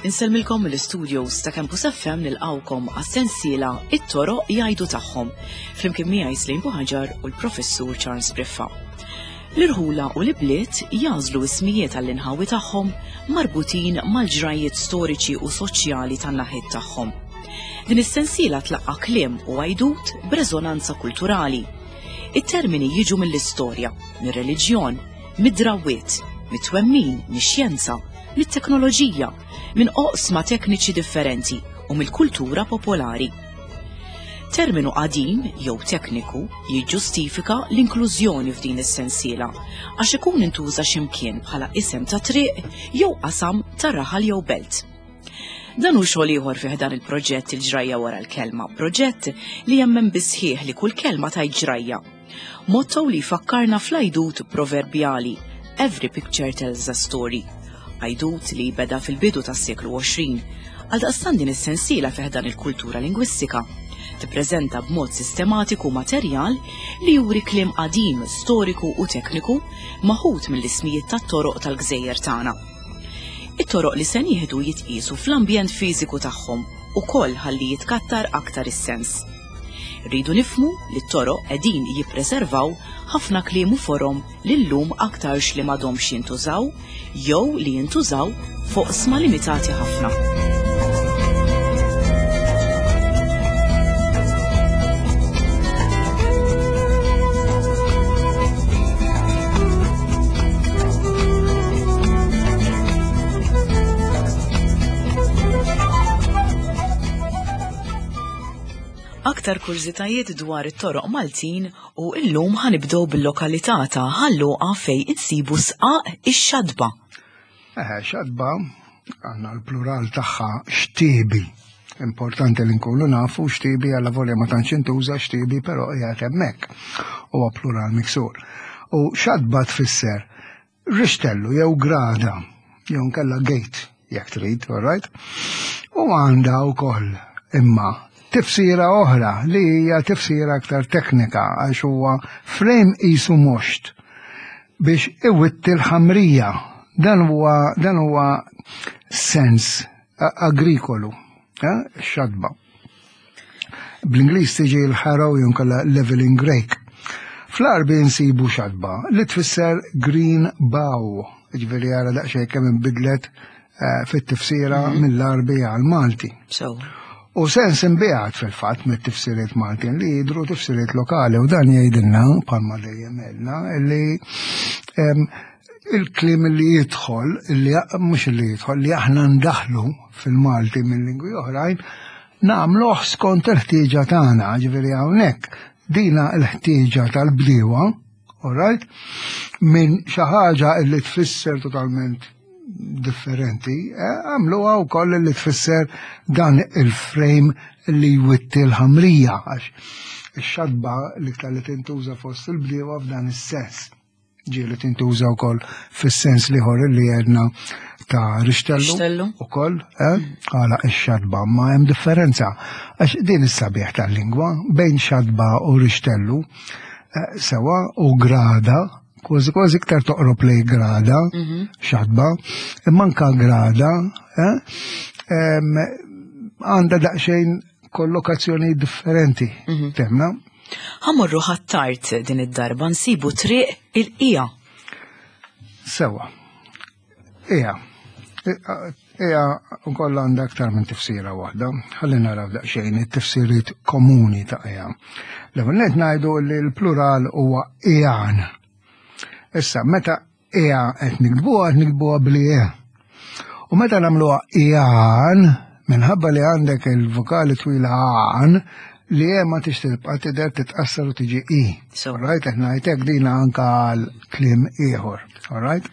Insellmilkom mill-istudios ta' Campus FM nilqawkom għas-sensiela It-toroq jgħidu tagħhom flimkien miegħi Slim Buħaġar u l-Professur Charles Briffa. L-irħula u l-ibliet jagħżlu ismijiet għall-inħawi tagħhom marbutin mal-ġrajjiet storiċi u soċjali tan-naħiet tagħhom. Din is-sensiela tlaqqa' kliem u għajdut b'reżonanza kulturali. It-termini jiġu mill-istorja, mir-reliġjon, mid-drawwiet, mit-twemmin, mix-xjenza, mit-teknoloġija, minn oqsma tekniċi differenti u mill-kultura popolari. Terminu qadim jew tekniku jiġġustifika l-inklużjoni f'din is-sensiela għax ikun intuża x'imkien bħala isem ta' triq jew qasam ta' raħal jew belt. Dan hu xogħol ieħor fih dan il-proġett il-ġrajja wara l-kelma, proġett li jemmen bisħieħ li kull kelma tgħid ġrajja. Motto li jfakkarna fl-għajdut proverbjali Every picture tells a story. Għajdut li beda fil-bidu tas-seklu 20. Għaldaqstant din is-sensiela fih dan il-kultura lingwistika tippreżenta b'mod sistematiku materjal li juri kliem qadim, storiku u tekniku maħud mill-ismijiet tat-toroq tal-gżejjer tagħna. It-toroq li se nieħdu jitqiesu fl-ambjent fiżiku tagħhom ukoll ħalli jitkattar aktar is-sens. Rridu nifhmu li t-toroq qegħdin jippreservaw ħafna kliem u forom li llum aktarx li m'għadhomx jintużaw jew li jintużaw f'oqsma limitati ħafna. Aktar kurżitajiet dwar it-toroq Maltin u illum ħanibdew bil-lokalità ta' Ħal Luqa fejn insibu sqaq ix-xadba. Eħe, xadba għandna l-plural tagħha xtiebi. Importanti li nkunu nafu xtiebi għalla volja ma tantx intuża xtiebi però qiegħed hemmhekk. Huwa plural miksur. U xadba tfisser rixtellu jew grada jew nkella gate jekk trid, all right? U għandha wkoll imma tifsira oħra li hija tifsira aktar teknika għax huwa frame qisu moxt biex iwitti l-ħamrija. Dan huwa dan huwa sens agrikolu, eh, xadba. Bl-Ingliż tiġi l-harrow jew inkella leveling rake. Fl-Għarbi nsibu xadba li tfisser green bow, ġifieri ara daqsxejn kemm inbidlet eh, fit-tifsira mhm. mill-Għarbi għal-Malti. U sens imbiegħed fil-fatt mit-tifsiriet Maltin li jidru tifsiriet lokali u dan jgħidilna bħalma dejjem għedna li il-kliem li jidħol, li mhux li jidħol, li aħna ndaħlu fil-Malti minn lingwi oħrajn, nagħmluh skont il-ħtieġa tagħna, ġifieri hawnhekk dina l-ħtieġa tal-bdiewa, all right, minn xi ħaġa li tfisser totalment differenti, eh, għamluha wkoll li tfisser dan il-frame li jwitti l-ħamrija, għax ix-xadba l-iktar li tintuża fost il-bdiewa f'dan is-sens. Ġieli tintuża wkoll fis-sens liħor li għedna ta' rixtellu ukoll, eh? għala ix-xadba, ma hemm differenza. Għax din is-sabiħ tal-lingwa bejn xadba u rixtellu eh, sewa u grada, kważi kważi iktar toqrob lej grada, mhm. xadba, imma anka grada, eh, għandha daqsxejn kollokazzjoni differenti, mhm. temna. Ħamorru ħattart din id-darba nsibu triq il-qija. Sewa. Ija. Ija ukoll għandha aktar minn tifsira waħda. Ħalli naraw daqsxejn it-tifsiriet komuni ta' ija. L-ewwel nett ngħidu li l-plural huwa ijan. Issa, meta Ea qed niktbuha qed niktbuha bli e. U meta nagħmluha ian, minħabba li għandek il-vokali twila għan, li e ma tix tibqa' tidher titqassar u tiġi i. So. Right, qed ngħidlek dina anka għal kliem ieħor. All right?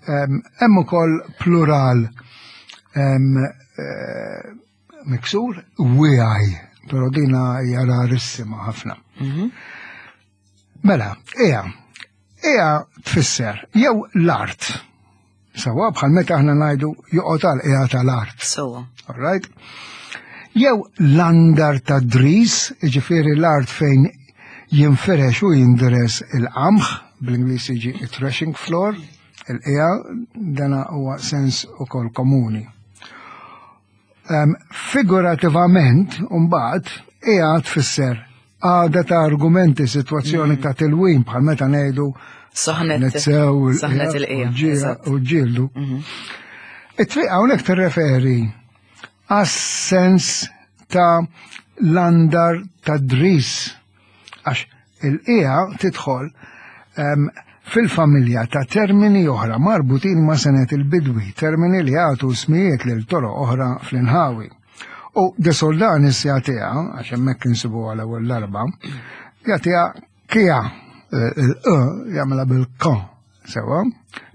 Hemm ukoll plural eh, miksur wiegħi, però dina hija rarissima ħafna. Mhm. Mela, ea, ea tfisser jew l-art. Sawa bħal meta aħna ngħidu joqgħod għal ea tal-art. Sawa. All right? Jew l-andar ta' dris, ġifieri l-art fejn jinferex u jinderes il-qamħ, bl-Ingliż jiġi threshing floor, il-qija, dana huwa sens ukoll komuni. Figurativament, mbagħad, hija tfisser għada ta' argumenti, sitwazzjoni ta' tilwim bħal meta ngħidu Saħnet saħnet il-qija u ġildu. It-triq hawnhekk tirreferi għas-sens ta' l-andar ta' dris għax il-qija tidħol fil-familja ta' termini oħra marbutin ma' senet il-bidwi, termini li għatu smijiet lil toroq oħra fl-inħawi. U De Soldanis jagħtiha, għax hemmhekk insibu għal ewwel darba, jagħtiha kija il-q jagħmilha bil-k sewa,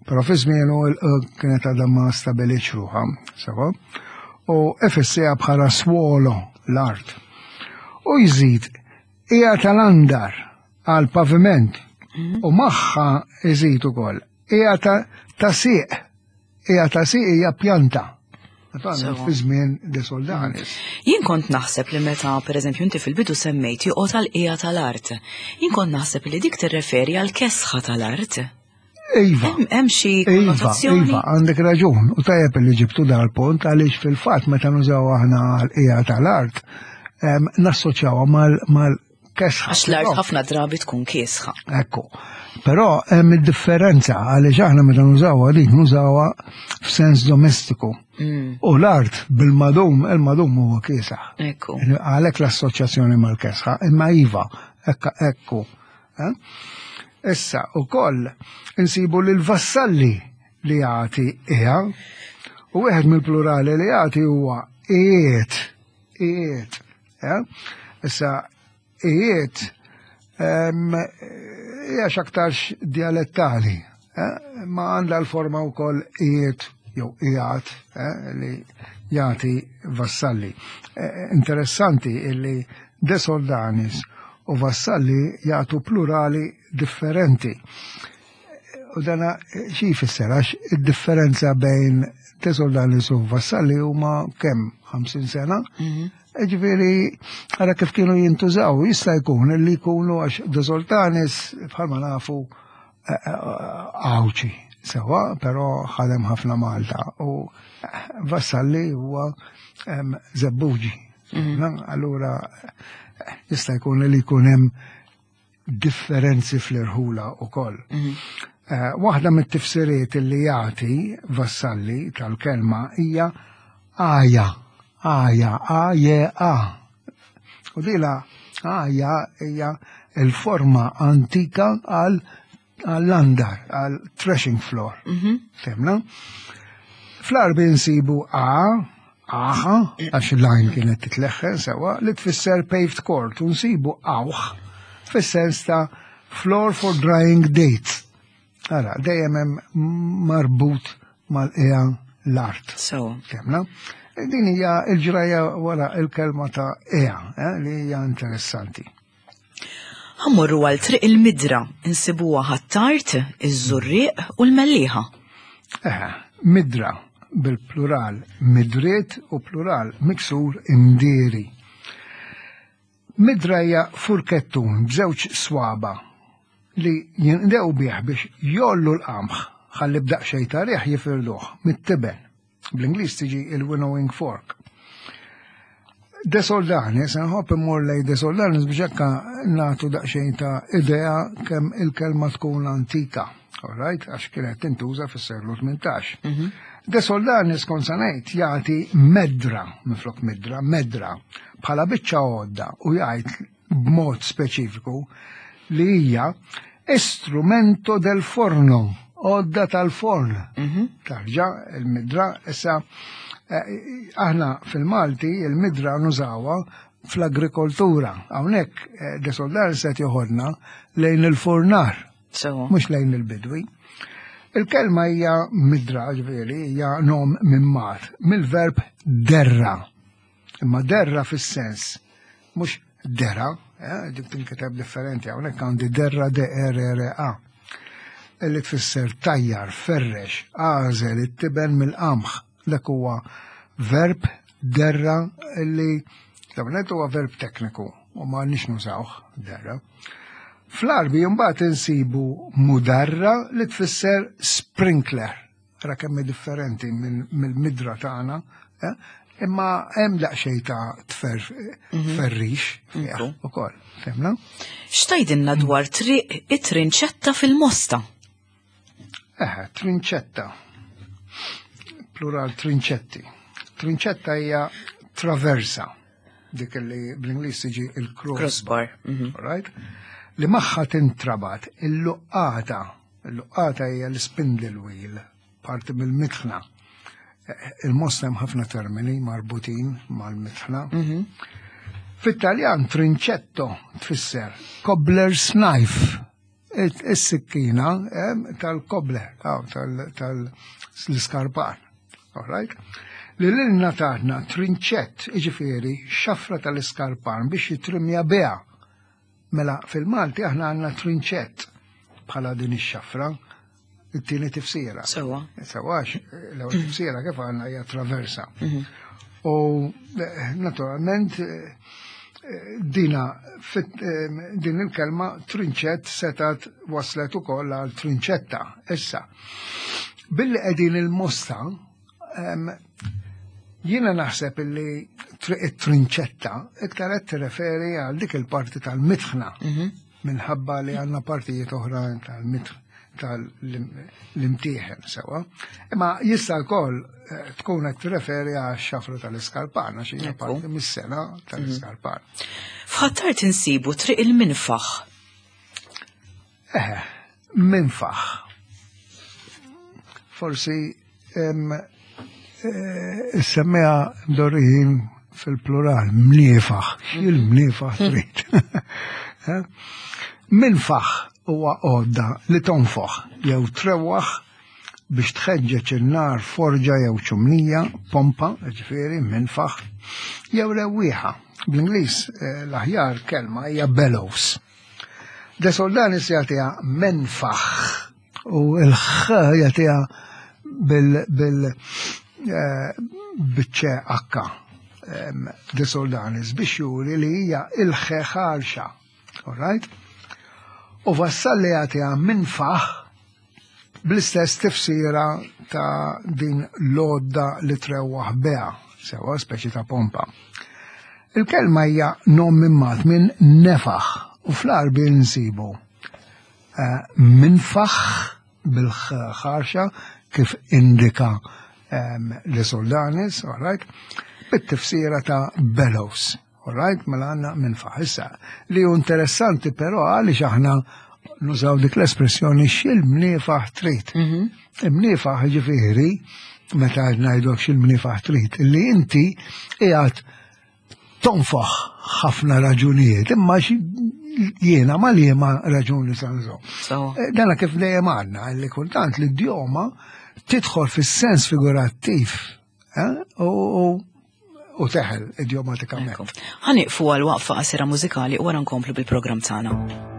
però fi żmienu il-q kienet għadha ma stabilitx ruħha, sewa, u ifissija bħala swolo l-art. U jżid hija tal-andar għal paviment u magħha jżid ukoll hija ta' sieq. Hija ta' sieq hija pjanta. Fi żmien De Soldanis. Jien kont naħseb li meta, pereżempju, inti fil-bidu semmejt joqgħod għal qiegħa tal-art. Jien kont naħseb li dik tirreferi għal kesħa tal-art. Iva. Hemm xi Iva, konnotazzjoni? Iva, għandek raġun. U tajjeb li ġibtu dal-punt għaliex fil-fatt meta nużaw aħna għal qiegħa tal-art, nassoċjawha mal kesħa. Għax l-art ħafna drabi tkun kiesħa. Ekku. Però hemm id-differenza għaliex aħna meta nużawha dik nużawha f'sens domestiku. U l-art bil-madum, il-madum huwa kiesaħ. Ekku. Għalhekk l-assoċjazzjoni mal-kesħa, imma iva, ekka ekku. Eh? Issa ukoll insibu lil vassalli li jagħti qiegħa u wieħed mill-plurali li jagħti huwa qiegħed, qiegħed. Eh? Issa qiegħed hija x'aktarx dialettali, eh? Ma għandha l-forma wkoll qiegħed jew qiegħed eh, li jagħti vassalli. Interessanti illi De Soldanis u vassalli jagħtu plurali differenti. U dana xi jfisser għax id-differenza bejn De Soldanis u vassalli huma kemm 50 sena. Ġifieri, ara kif kienu jintużaw, jista' jkun li jkunu għax De Soldanis bħalma nafu Għawdxi sewa, però ħadem ħafna Malta u Vassalli huwa Żebbuġi. Allura jista' jkun li jkun hemm differenzi fl-irħula wkoll. Waħda mit-tifsiriet li jagħti Vassalli tal-kelma hija għaja, għaja, A-J-A. U dila għaja hija l-forma antika għal għall-andar, għal threshing floor. Femna? Fl-Għarbi nsibu A, aħa, għax l-għajn kienet titleħħen sewa, li tfisser paved court, u nsibu awħ, fis-sens ta' floor for drying dates. Ara, dejjem hemm marbut mal-qiegħa l-art. Sewa. Femna? Din hija l-ġrajja wara l-kelma ta' qiegħa, li hija interessanti. Ħammorru għal Triq il-Midra, insibuha Ħ'Attard, iż-Żurrieq u l-Mellieħa. Eħe, midra bil-plural midriet u plural miksur imdieri. Midra hija furkettun b'żewġ swaba li jinqdew bih biex jgħollu l-qamħ ħalli b'daqsxejn ta' riħ jifirduh mit-tiben. Bl-Ingliż tiġi il-winnowing fork. De Soldanis, nħobb immur lej De Soldanis biex hekk nagħtu daqsxejn ta' idea kemm il-kelma tkun antika. All right, għax kienet tintuża fis-seklu 18. De Soldanis kont se ngħid jagħti medra minflok midra, medra bħala biċċa għodda u jgħid b'mod speċifiku li hija istrumento del forno, għodda tal-forn. Tarġa, il-midra, issa aħna fil-Malti il-midra nużawha fl-agrikoltura. Hawnhekk De Soldanis qed joħodna lejn il-furnar, mhux lejn il-bidwi. Il-kelma hija midra, ġifieri, hija nom minn mar, mill-verb derra. Imma derra fis-sens, mhux dera, dik tinkiteb differenti, hawnhekk għandi derra D E R R A. Illi tfisser tajjar, ferrex, għażel it-tiben mill-qamħ. Dak huwa verb derra illi l-ewwel nett huwa verb tekniku. u ma nix nużawh darra. Fl-Arbi mbagħad insibu mudarra li tfisser sprinkler. Ra kemm differenti mill-midra tagħna, eh? imma hemm daqsxejn ta' tferrix mhm. ukoll, fehmna? X'tajdilna dwar triq it-trinċetta fil-Mosta? Eh, trinċetta. Plural trinċetti. Trinċetta hija traversa, dik li bl-Ingliż tiġi il-crossbar. Mhm. Right? Li magħha tintrabat il-luqqata. Il-luqqata hija l-spindle wheel, parti mill-mitħna. Eh, Il-Mosta hemm ħafna termini marbutin mal-mitħna. Mhm. Fit-Taljan trinċetto tfisser cobbler's knife is-sikkina tal-kobler, tal-iskarpar. All right? Li l-ilna taħna trinċett, iġifieri, xafra tal-iskarpan biex jitrimja biha. Mela fil-Malti aħna għandna trinċett bħala din ix-xafra, it-tieni tifsira. Sewa. Sewa, l-ewwel tifsira kif għandna hija traversa. Mhm. U eh, naturalment eh, dina eh, din il-kelma trinċett setat waslet ukoll għal trinċetta. Issa, billi qegħdin il-mosta, jiena naħseb illi it-trinċetta iktar qed tirreferi għal dik il-parti tal-mitħna. Mhm. Minħabba li għandna partijiet oħra tal-mitħna tal-imtieħen sewa. Imma jista' wkoll eh, tkun qed tirreferi għax-xafra tal-iskarpan għax hija parti mis-sena tal-iskarpan. Mhm. F'Ħattar tinsibu triq il-minfaħ. Eh, minfaħ. Forsi eh, semmija mdorrijin fil-plural, mniefaħ, il-mniefaħ trid. Eh? Minfaħ huwa għodda li tonfoħ jew trewwaħ biex tħeġġeġ in-nar forġa jew ċumnija, pompa, ġifieri, minfaħ, jew rewwieħa. Bl-Ingliż eh, l-aħjar kelma hija bellows. De Soldanis jagħtiha menfaħ u l-ħ jagħtiha bil bil eh, biċċe akka De Soldanis biex juri li hija il-ħe ħarxa. All right? U Vassalli jagħtiha minfaħ bl-istess tifsira ta' din l-għodda li trewwaħ beha, sewa speċi ta' pompa. Il-kelma hija nom immat minn nefaħ u fl-Għarbi nsibu eh, minfaħ bil-ħarxa kif indika ehm, li Soldanis, all right, bit-tifsira ta' bellows. All right, mela għandna minn Issa, li hu interessanti però għaliex aħna nużaw dik l-espressjoni x'il-mniefaħ trid. Mhm. Imniefaħ ġifieri, meta ngħidlok x'il-mniefaħ trid, li inti qiegħed tonfoħ ħafna raġunijiet, imma jiena ma liema raġuni sanżo. Eh, dana kif dejjem għandna li kultant l-idjoma tidħol fis-sens figurattiv eh, u teħel idjomatikament. Ħaniqfu għal waqfa qasira mużikali u wara nkomplu bil-programm tagħna.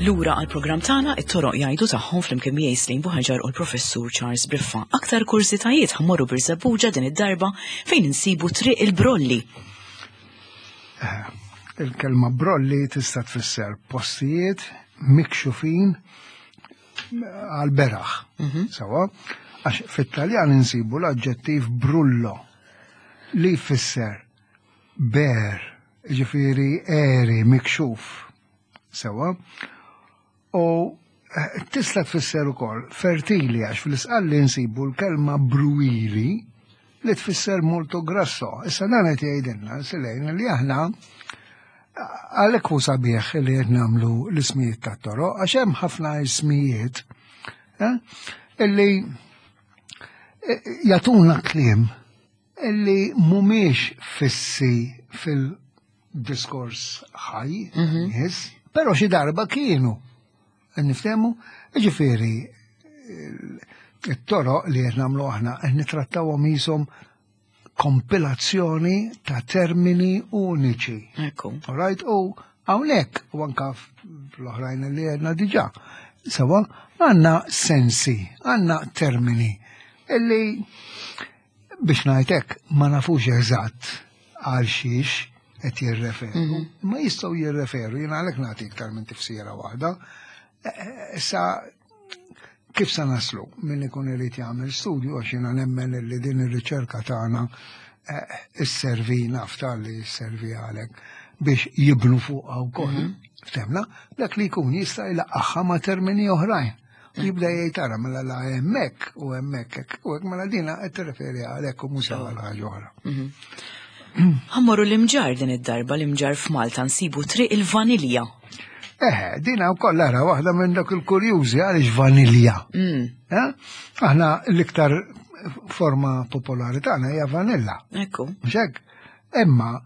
Lura għal programm tagħna it-toroq jgħidu tagħhom flimkien miegħi Slim Buħaġar u l-Professur Charles Briffa. Aktar kursitajiet ħammorru Birżebbuġa din id-darba fejn insibu Triq il-Brolli. Eh, il-kelma brolli tista' tfisser postijiet mikxufin għal beraħ. Mhm. Sawa, għax fit-Taljan insibu l-aġġettiv brullo li jfisser ber, ġifiri eri, mikxuf. Sewa. U eh, tista' tfisser ukoll fertili għax fl-isqalli nsibu l-kelma bruili li tfisser molto grasso. Issa dan qed jgħidilna silejn li aħna għalhekk hu sabiħ li qed nagħmlu l-ismijiet tat-toroq għax hemm ħafna ismijiet eh, illi eh, jagħtuna kliem illi mhumiex fissi fil-diskors ħaj, mhm. nies, però xi darba kienu. Niftehmu, ġifieri it-toroq li qed nagħmlu aħna qed nitrattawhom qishom kompilazzjoni ta' termini uniċi. Ekku. Right? U hawnhekk u anka fl-oħrajn li għedna diġà. Sewa, għandna sensi, għandna termini illi biex ngħid hekk ma nafux eżatt għal xiex qed jirreferu. Mhm. Ma jistgħu jirreferu, jiena għalhekk nagħti iktar minn tifsira waħda. E, e, issa kif sa naslu min ikun irid jagħmel studju għax jiena nemmen li din ir-riċerka tagħna e, isservi nafta li sservi għalhekk biex jibnu fuqha wkoll. Mhm. Ftemna, dak li jkun jista' jlaqqaħħa ma' termini oħrajn. Jibda jgħid ara mela la hemmhekk u hemmhekk hekk u hekk mela dina qed tirreferi għalhekk u mhux għal ħaġa oħra. Mhm. Ħammorru l-imġar din id-darba l-imġar f'Malta nsibu triq il-vanilja. Eħe, dina wkoll ara waħda minn dak il-kurjużi għaliex vanilja. Mm. Eh? Aħna l-iktar forma popolari tagħna hija vanilla. Ekku. Mhux hekk? Imma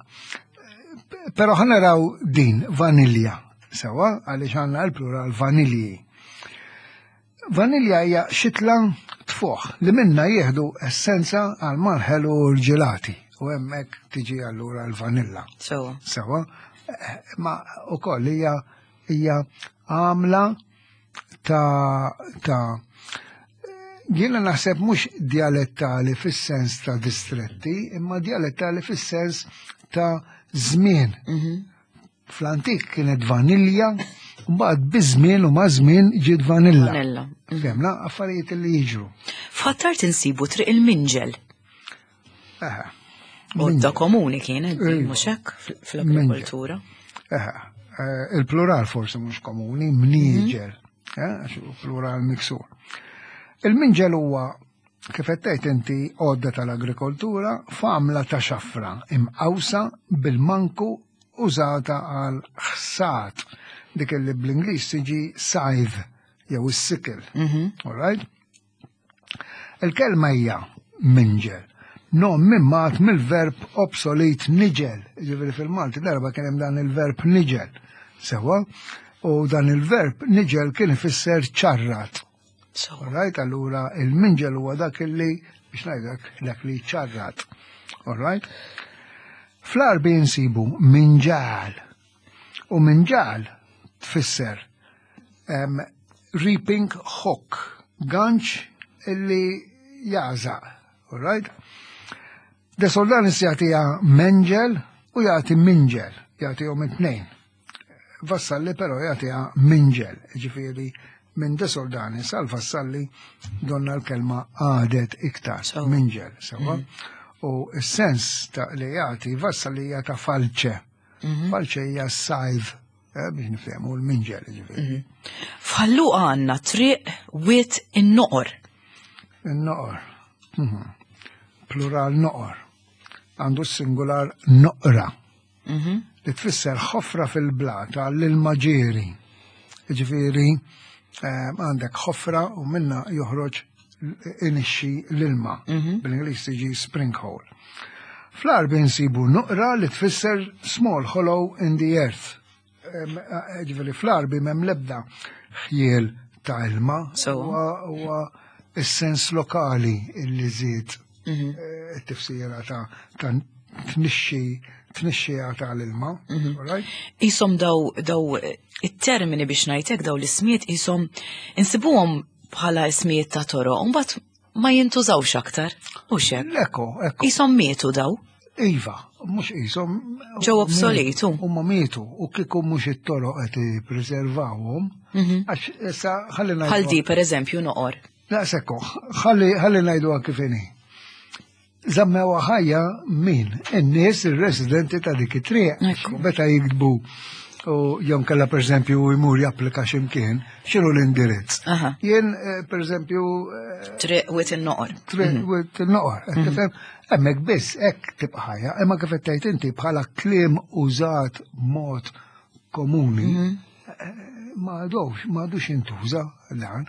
però ħa naraw din vanilja sewa għaliex għandna l-plural vanilji. Vanilja hija xitla tfuħ li minna jieħdu essenza għal malħel u l-ġelati u hemmhekk tiġi allura l-vanilla. Sewa. Sewa. Eh, ma ukoll hija hija għamla ta' ta' jiena naħseb mhux dialettali fis-sens ta' distretti, imma dialettali fis-sens ta' żmien. Mm -hmm. Fl-antik kienet vanilja, mbagħad biż-żmien u ma' żmien ġiet vanilla. Vanilla. Femna, affarijiet li jiġru. F'Ħattar tinsibu triq il-Minġel. Eħe. Għodda komuni kienet, mhux hekk fl-agrikoltura. Eħe. Eh, il-plural forsi mhux komuni, mnieġel, mhm. eh, għax plural miksur. Il-minġel huwa kif qed tgħid inti għodda tal-agrikoltura f'għamla ta' xafra imqawsa bil-manku użata għal ħsad dik li bl-Ingliż tiġi scythe jew is-sickle. Mhm. All right? Il-kelma hija minġel. Nom mimmat mill-verb obsolet niġel. Ġifieri fil-Malti darba kien hemm dan il-verb niġel. Sewa, u dan il-verb niġel kien ifisser ċarrat. All right, allura il-minġel huwa dak li biex ngħidlek dak li ċarrat. All right? Fl-Arbi nsibu minġal. U minġal tfisser um, reaping hook, ganċ illi jażaq. All right? De Soldanis jagħtiha menġel u jagħti minġel, jagħtihom it-tnejn. Vassalli però jagħtiha minġel, ġifieri minn De Soldanis għal Vassalli donna l-kelma għadet iktar minġel, sewa. Mm. U s-sens ta' li jagħti Vassalli hija ta' falċe. Mhm. Falċe hija sajv eh, biex nifhemu l-minġel ġifieri. Mhm. F'Ħallu għandna triq wit in-noqor. In-noqor. Mhm. Plural noqor. Għandu s-singular noqra. Mhm. Li tfisser ħofra fil-blata l-ilma ġieri. Ġifieri eh, għandek ħofra u minna joħroġ inixxi l-ilma. Mhm. Bil-Ingliż tiġi spring hole. Fl-Arbi nsibu nuqra li tfisser small hollow in the earth. Ġifieri fl-Arbi m'hemm l-ebda ħjiel ta' ilma. Huwa is-sens lokali li żied mhm. eh, it-tifsira ta' tnixxi tnixxija tal-ilma. Mhm. Isom daw daw it-termini biex ngħidlek daw l-ismijiet isom insibuhom bħala ismijiet ta' toroq, u mbagħad ma jintużawx aktar, u xek. Ekku, ekku. Isom mietu daw. Iva, mhux isom. Ġew obsoletu. Huma mietu u kieku mhux it-toroq qed jippreservawhom. Mhm. Għax issa ħalli ngħidu. Bħal di pereżempju noqor. Daqshekk, ħalli ngħidu kif inhi. Żammewha ħajja min? In-nies, ir-residenti ta' dik it-triq. Meta jiktbu u jom kella per eżempju jmur japplika x'imkien, x'inhu l-indirizz. Jien eh, per eżempju eh, triq wit in-noqor. Triq mhm. wit in-noqor, qed mhm. tifhem? Hemmhekk biss hekk tibqa' ħajja, imma kif qed tgħid inti bħala kliem użat mod komuni mhm. eh, ma għadux, ma għadux jintuża dan.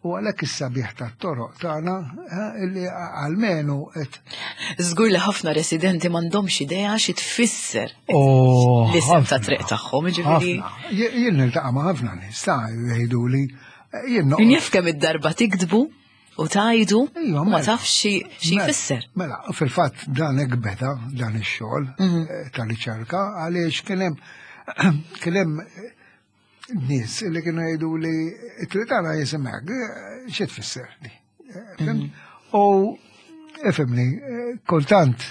U għalhekk is-sabiħ tat-toroq tagħna eh, illi għalmenu qed. Żgur li ħafna residenti m'għandhomx idea xi tfisser oh, l-isem ta' triq tagħhom, ġifieri. Jien niltaqa' ma' ħafna nies ta' jgħiduli eh, jien Min jaf kemm id-darba tiktbu u tajdu u ma mela. tafx xi mela, jfisser. Mela, fil-fatt dan hekk beda dan ix-xogħol mhm. eh, ta' riċerka għaliex kien hemm kien hemm nies li kienu jgħidu li t-tritana jisimek, xi tfisser di. Mhm. U ifimni, kultant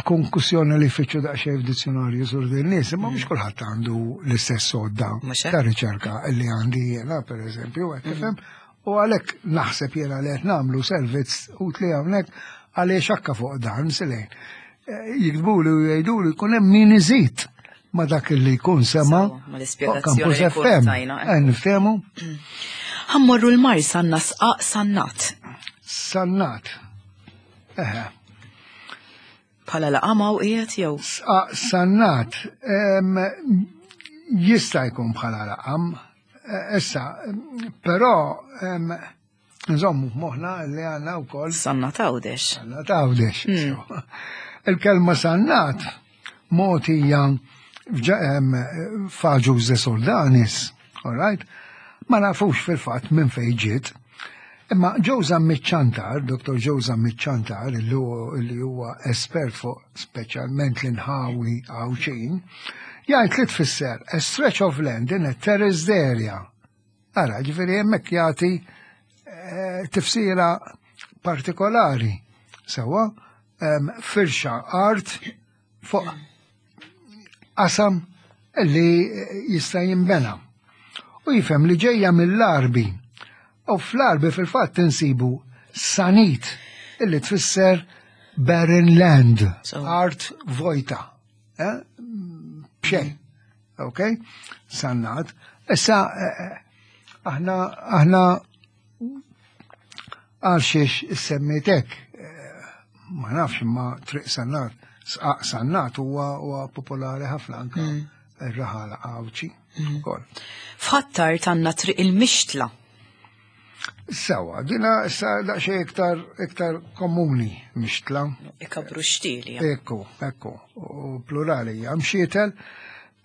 tkun kussjoni li fitxu daqsxejn f'dizzjonarju sur din nies, imma mhux mhm. kulħadd għandu l-istess sodda ta' riċerka li għandi jiena, pereżempju, qed mhm. tifhem, u għalhekk naħseb jiena li qed nagħmlu servizz utli hawnhekk għaliex akka fuq dan silejn. Eh, jiktbuli u jgħiduli jkun hemm min iżid ma dak li jkun sema. Ma l-ispjegazzjoni li jkun tajna. Eh, niftehmu. Ħammorru l-mar sanna sqaq sannat. Sannat. Eħe. Bħala laqama u qiegħed jew? Sqaq sannat. Jista' jkun bħala laqam. Eh, issa, però Nżommu f'moħħna li għandna wkoll. Sannat Għawdex. Sannat Għawdex. Hmm. Il-kelma sannat mogħtija f'Aġuż de Soldanis, all right? Ma nafux fil-fatt minn fejn ġiet. Imma Joe Zammit Ciantar, Dr. Joe Zammit Ciantar, li huwa espert fuq speċjalment l-inħawi Għawdxin, jgħid li tfisser a stretch of land in a terraced area. Ara, ġifieri hemmhekk jagħti eh, tifsira partikolari. Sewwa, firxa art fuq qasam li jista' jinbena. U jifhem li ġejja mill-Arbi. U fl-Arbi fil-fatt insibu sanit illi tfisser barren land, art vojta. Eh? B'xejn. Ok? Sannat. Issa, eh, eh, aħna, aħna għal xiex semmitek, eh, ma nafx imma triq sannat, sqaq sannat huwa popolari ħafna anka mm. ir-raħala għawċi mm. ukoll. F'Ħattar tanna triq il-mixtla. Sewa, dina issa daqsxejn iktar iktar komuni mixtla. Ikabru xtieli. Ekku, ekku, u plurali hija mxietel.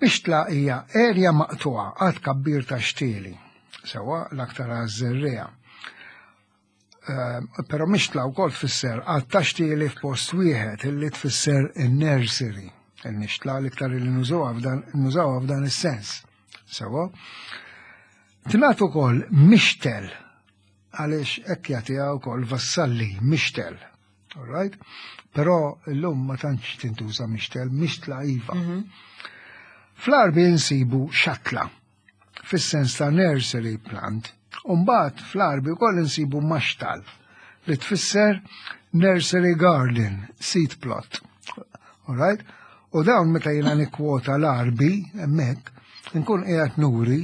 Mixtla hija erja maqtuha għad kabbir ta' xtieli. Sewa l-aktar għaż-żerriegħa. Ehm, però mixtla wkoll tfisser għad ta' xtieli f'post wieħed illi tfisser in-nursery. Il-mixtla l-iktar li nużawha f'dan is-sens. Sewa. Tingħad ukoll mixtel għaliex hekk jagħtiha wkoll Vassalli mixtel. All right? Però llum ma tantx tintuża mixtel, mixtla iva. Mhm. Fl-Arbi nsibu xatla fis-sens ta' nursery plant. Umbagħad fl-Arbi wkoll insibu maxtal li tfisser nursery garden, seed plot. All right? U dawn meta jiena nikkwota l-Arbi hemmhekk, nkun qiegħed nuri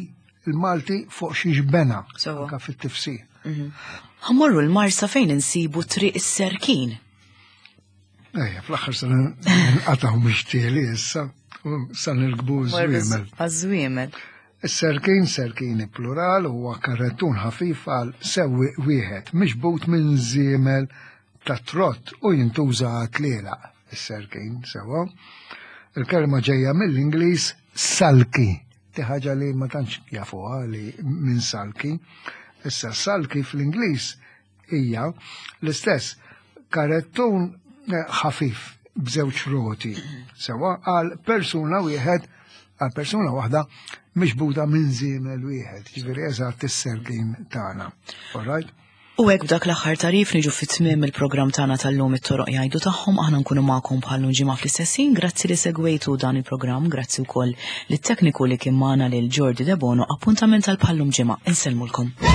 il-Malti fuq xiex bena anka fit-tifsir. Mhm. Ħammorru l-Marsa fejn insibu triq is-Serkin. Ejja, fl-aħħar se nqatgħu mixtieli issa, sa nirkbu żwiemel. Għaż-żwiemel. Is-serkin, serkini plural, huwa karrettun ħafif għal sewwieq wieħed, miġbud minn żiemel ta' trott u jintuża għat-tlielaq. Is-serkin, sewwa. Il-kelma ġejja mill-Ingliż salki, ti ħaġa li ma tantx jafuha li minn salki. Issa salki fl-Ingliż hija l-istess karettun eh, ħafif. b'żewġ roti. Sewa għal persuna wieħed għal persuna waħda miġbuda minn żiemel wieħed, ġifieri eżatt is-sergin tagħna. All right? U hekk b'dak l-aħħar tarif niġu fit tmiem il-programm tagħna tal-lum it-toroq jgħidu tagħhom aħna nkunu magħkom bħal ġimgħa fl-istess ħin. Grazzi li segwejtu dan il-programm, grazzi wkoll lit-tekniku li kien magħna lil Jordi Debono, appuntament għal bħallum ġimgħa. Insellmulkom.